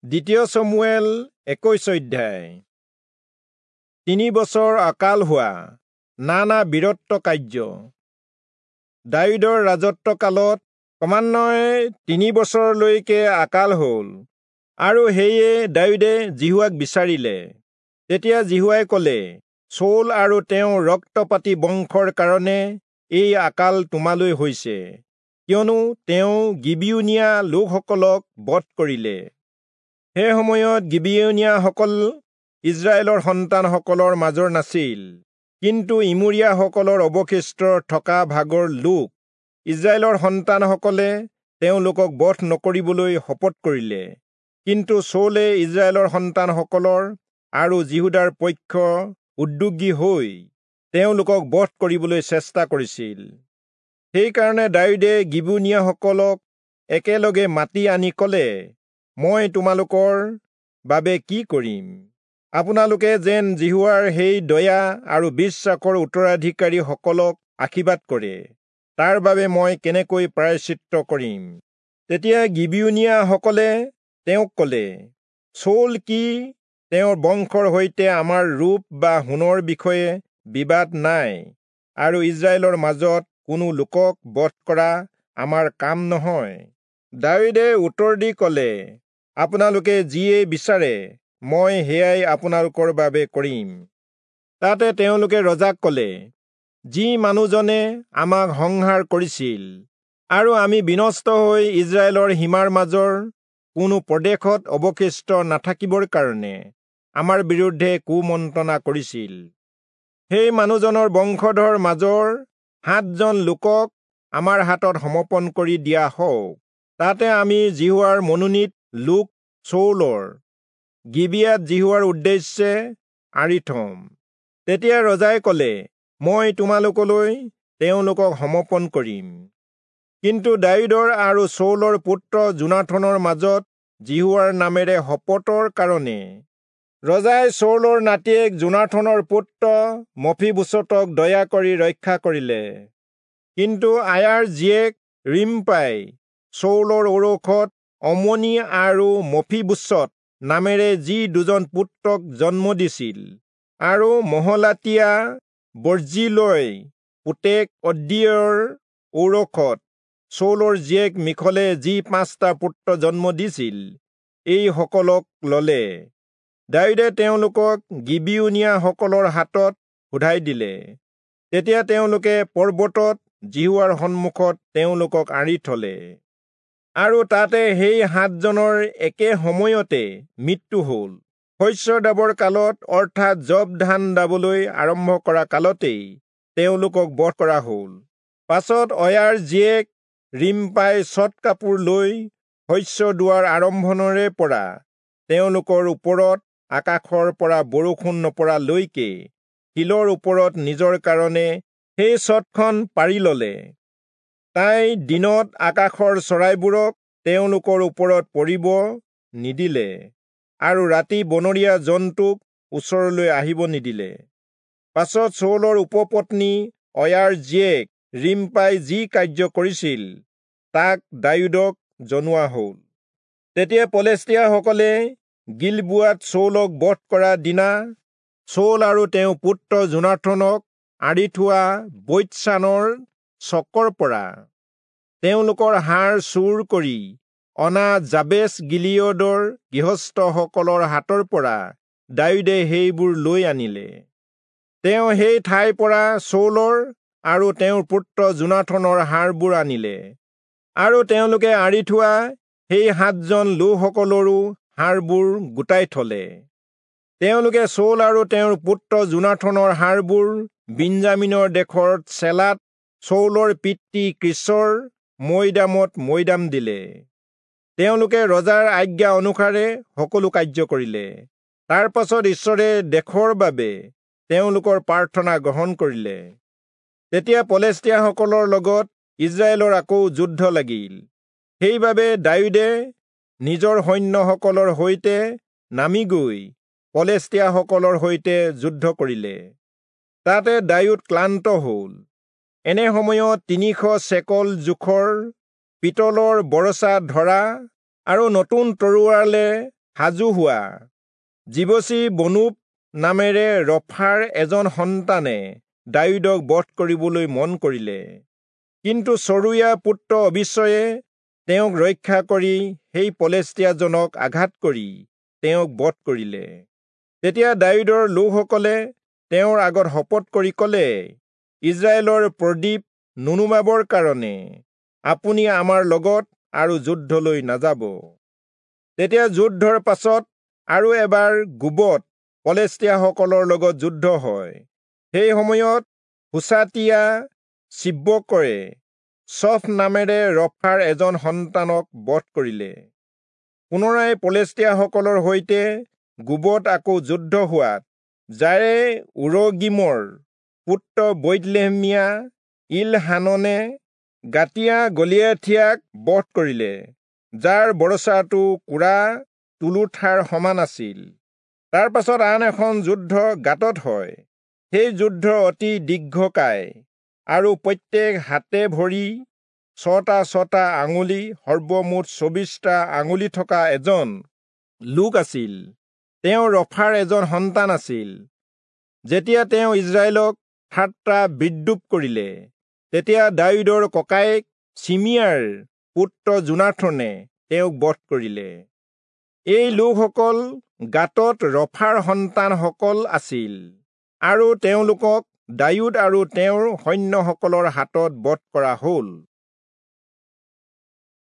দ্বিতীয় চমূৱেল 21 অধ্যায়। 3 বছৰ অকাল হোৱা নানা বীৰত্ব কাৰ্য। দায়ূদৰ ৰাজত্বকালত ক্ৰমান্বয়ে 3 বছৰলৈকে আকাল হ'ল, আৰু সেয়ে দায়ূদে যিহোৱাক বিচাৰিলে। তেতিয়া যিহোৱাই ক'লে, চৌল আৰু তেওঁৰ ৰক্তপাতী বংশৰ কাৰণে এই আকাল তোমালৈ হৈছে, কিয়নো তেওঁ গিবিয়োনীয়া লোকসকলক বধ কৰিলে। সেই সময়ত গিবিয়োনীয়াসকল ইস্ৰায়েলৰ সন্তানসকলৰ মাজৰ নাছিল, কিন্তু ইমূৰীয়াসকলৰ অৱশিষ্ট থকা ভাগৰ লোক। ইস্ৰায়েলৰ সন্তানসকলে তেওঁলোকক বধ নকৰিবলৈ শপত কৰিলে। কিন্তু চৌলে ইস্ৰায়েলৰ সন্তানসকলৰ আৰু যিহূদাৰ পক্ষ উদ্যোগী হৈ তেওঁলোকক বধ কৰিবলৈ চেষ্টা কৰিছিল। সেইকাৰণে দায়ূদে গিবিয়োনীয়াসকলক একেলগে মাতি আনি ক'লে, মই তোমালোকৰ বাবে কি কৰিম? আপোনালোকে যেন যিহোৱাৰ সেই দয়া আৰু বিশ্বাসৰ উত্তৰাধিকাৰীসকলক আশীৰ্বাদ কৰে, তাৰ বাবে মই কেনেকৈ প্ৰায়শ্চিত্ত কৰিম? তেতিয়া গিবিয়োনীয়াসকলে তেওঁক ক'লে, চৌল কি তেওঁৰ বংশৰ সৈতে আমাৰ ৰূপ বা সোণৰ বিষয়ে বিবাদ নাই, আৰু ইস্ৰায়েলৰ মাজত কোনো লোকক বধ কৰা আমাৰ কাম নহয়। দায়ূদে উত্তৰ দি ক'লে, আপোনালোকে যিয়েই বিচাৰে মই সেয়াই আপোনালোকৰ বাবে কৰিম। তাতে তেওঁলোকে ৰজাক ক'লে, যি মানুহজনে আমাক সংহাৰ কৰিছিল আৰু আমি বিনষ্ট হৈ ইস্ৰায়েলৰ সীমাৰ মাজৰ কোনো প্ৰদেশত অৱশিষ্ট নাথাকিবৰ কাৰণে আমাৰ বিৰুদ্ধে কুমন্ত্ৰণা কৰিছিল, সেই মানুহজনৰ বংশধৰ মাজৰ 7জন লোকক আমাৰ হাতত সমৰ্পণ কৰি দিয়া হওক। তাতে আমি যিহোৱাৰ মনোনীত লোক চৌলৰ গিবিয়াত যিহোৱাৰ উদ্দেশ্যে আঁৰি থম। তেতিয়া ৰজাই ক'লে, মই তোমালোকলৈ তেওঁলোকক সমৰ্পণ কৰিম। কিন্তু দায়ূদৰ আৰু চৌলৰ পুত্ৰ যোনাথনৰ মাজত যিহোৱাৰ নামেৰে শপতৰ কাৰণে ৰজাই চৌলৰ নাতিয়েক যোনাথনৰ পুত্ৰ মফীবোচতক দয়া কৰি ৰক্ষা কৰিলে। কিন্তু আয়াৰ জীয়েক ৰিম্পাই চৌলৰ ঔৰসত অমনি আৰু মফীবোচত নামেৰে যি 2জন পুত্ৰক জন্ম দিছিল, আৰু মহলাতীয়া বৰ্জিলৈ পুতেক অদ্দীয়ৰ ঔৰসত চৌলৰ জীয়েক মিখলে যি 5টা পুত্ৰ জন্ম দিছিল, এই সকলক ললে। দায়ূদে তেওঁলোকক গিবিয়োনীয়াসকলৰ হাতত শোধাই দিলে। তেতিয়া তেওঁলোকে পৰ্বতত যিহোৱাৰ সন্মুখত তেওঁলোকক আঁৰি থলে, আৰু তাতে সেই 7জনৰ একে সময়তে মৃত্যু হ'ল। শস্য দাবৰ কালত, অৰ্থাৎ যৱ ধান দাবলৈ আৰম্ভ কৰা কালতেই তেওঁলোকক বধ কৰা হ'ল। পাছত অয়াৰ জীয়েক ৰিম্পাই চট কাপোৰ লৈ শস্য দোৱাৰ আৰম্ভণৰে পৰা তেওঁলোকৰ ওপৰত আকাশৰ পৰা বৰষুণ নপৰালৈকে শিলৰ ওপৰত নিজৰ কাৰণে সেই চটখন পাৰি ললে। তাই দিনত আকাশৰ চৰাইবোৰক তেওঁলোকৰ ওপৰত পৰিব নিদিলে, আৰু ৰাতি বনৰীয়া জন্তুক ওচৰলৈ আহিব নিদিলে। পাছত চৌলৰ উপপত্নী অয়াৰ জীয়েক ৰিম্পাই যি কাৰ্য কৰিছিল তাক দায়ূদক জনোৱা হ'ল। তেতিয়া পলেষ্টীয়াসকলে গিলবোৱাত চৌলক বধ কৰা দিনা চৌল আৰু তেওঁৰ পুত্ৰ যোনাথনক আঁৰি থোৱা বৈৎচানৰ চকৰ পৰা তেওঁলোকৰ হাড় চুৰ কৰি অনা যাবেচ গিলিয়দৰ গৃহস্থসকলৰ হাতৰ পৰা দায়ূদে সেইবোৰ লৈ আনিলে। তেওঁ সেই ঠাইৰ পৰা চৌলৰ আৰু তেওঁৰ পুত্ৰ যোনাথনৰ হাড়বোৰ আনিলে, আৰু তেওঁলোকে আঁৰি থোৱা সেই 7জন লোকসকলৰো হাড়বোৰ গোটাই থলে। তেওঁলোকে চৌল আৰু তেওঁৰ পুত্ৰ যোনাথনৰ হাড়বোৰ বিঞ্জামিনৰ দেশৰ চেলাত চৌলৰ পিতৃ কীচৰ মৈদামত মৈদাম দিলে। তেওঁলোকে ৰজাৰ আজ্ঞা অনুসাৰে সকলো কাৰ্য কৰিলে। তাৰ পাছত ঈশ্বৰে দেশৰ বাবে তেওঁলোকৰ প্ৰাৰ্থনা গ্ৰহণ কৰিলে। তেতিয়া পলেষ্টীয়াসকলৰ লগত ইস্ৰায়েলৰ আকৌ যুদ্ধ লাগিল। সেইবাবে দায়ূদে নিজৰ সৈন্যসকলৰ সৈতে নামি গৈ পলেষ্টীয়াসকলৰ সৈতে যুদ্ধ কৰিলে। তাতে দায়ূদ ক্লান্ত হ'ল। এনে সময়ত 300 চেকল জোখৰ পিতলৰ বৰচা ধৰা আৰু নতুন তৰোৱালে সাজু হোৱা। যিবচি বনোব নামেৰে ৰফাৰ এজন সন্তানে দায়ূদক বধ কৰিবলৈ মন কৰিলে, কিন্তু চৰুয়া পুত্ৰ অবিচয়ে তেওঁক ৰক্ষা কৰি সেই পলেষ্টীয়াজনক আঘাত কৰি তেওঁক বধ কৰিলে। তেতিয়া দায়ূদৰ লোকসকলে তেওঁৰ আগত শপত কৰি ক'লে, ইজৰাইলৰ প্ৰদীপ নুনুমাবৰ কাৰণে আপুনি আমাৰ লগত আৰু যুদ্ধলৈ নাযাব। তেতিয়া যুদ্ধৰ পাছত আৰু এবাৰ গোবত পলেষ্টীয়াসকলৰ লগত যুদ্ধ হয়। সেই সময়ত হুচাতীয়া চিব্বকয়ে চফ নামেৰে ৰফাৰ এজন সন্তানক বধ কৰিলে। পুনৰাই পলেষ্টীয়াসকলৰ সৈতে গোবত আকৌ যুদ্ধ হোৱাত যাৰে উৰগীমৰ পুত্ৰ বৈৎলেহেমীয়া ইলহাননে গাতীয়া গলিয়াথিয়াক বধ কৰিলে, যাৰ বৰছাটো কোৰা তুলোঠাৰ সমান আছিল। তাৰ পাছত আন এখন যুদ্ধ গাতত হয়। সেই যুদ্ধ অতি দীৰ্ঘকায় আৰু প্ৰত্যেক হাতে ভৰি 6টা 6টা আঙুলি, সৰ্বমুঠ 24টা আঙুলি থকা এজন লোক আছিল। তেওঁ ৰফাৰ এজন সন্তান আছিল। যেতিয়া তেওঁ ইজৰাইলক ঠাট্টা বিদ্ৰূপ কৰিলে, তেতিয়া দায়ূদৰ ককায়েক চিমিয়াৰ পুত্ৰ যোনাথনে তেওঁক বধ কৰিলে। এই লোকসকল গাতত ৰফাৰ সন্তানসকল আছিল আৰু তেওঁলোকক দায়ূদ আৰু তেওঁৰ সৈন্যসকলৰ হাতত বধ কৰা হ'ল।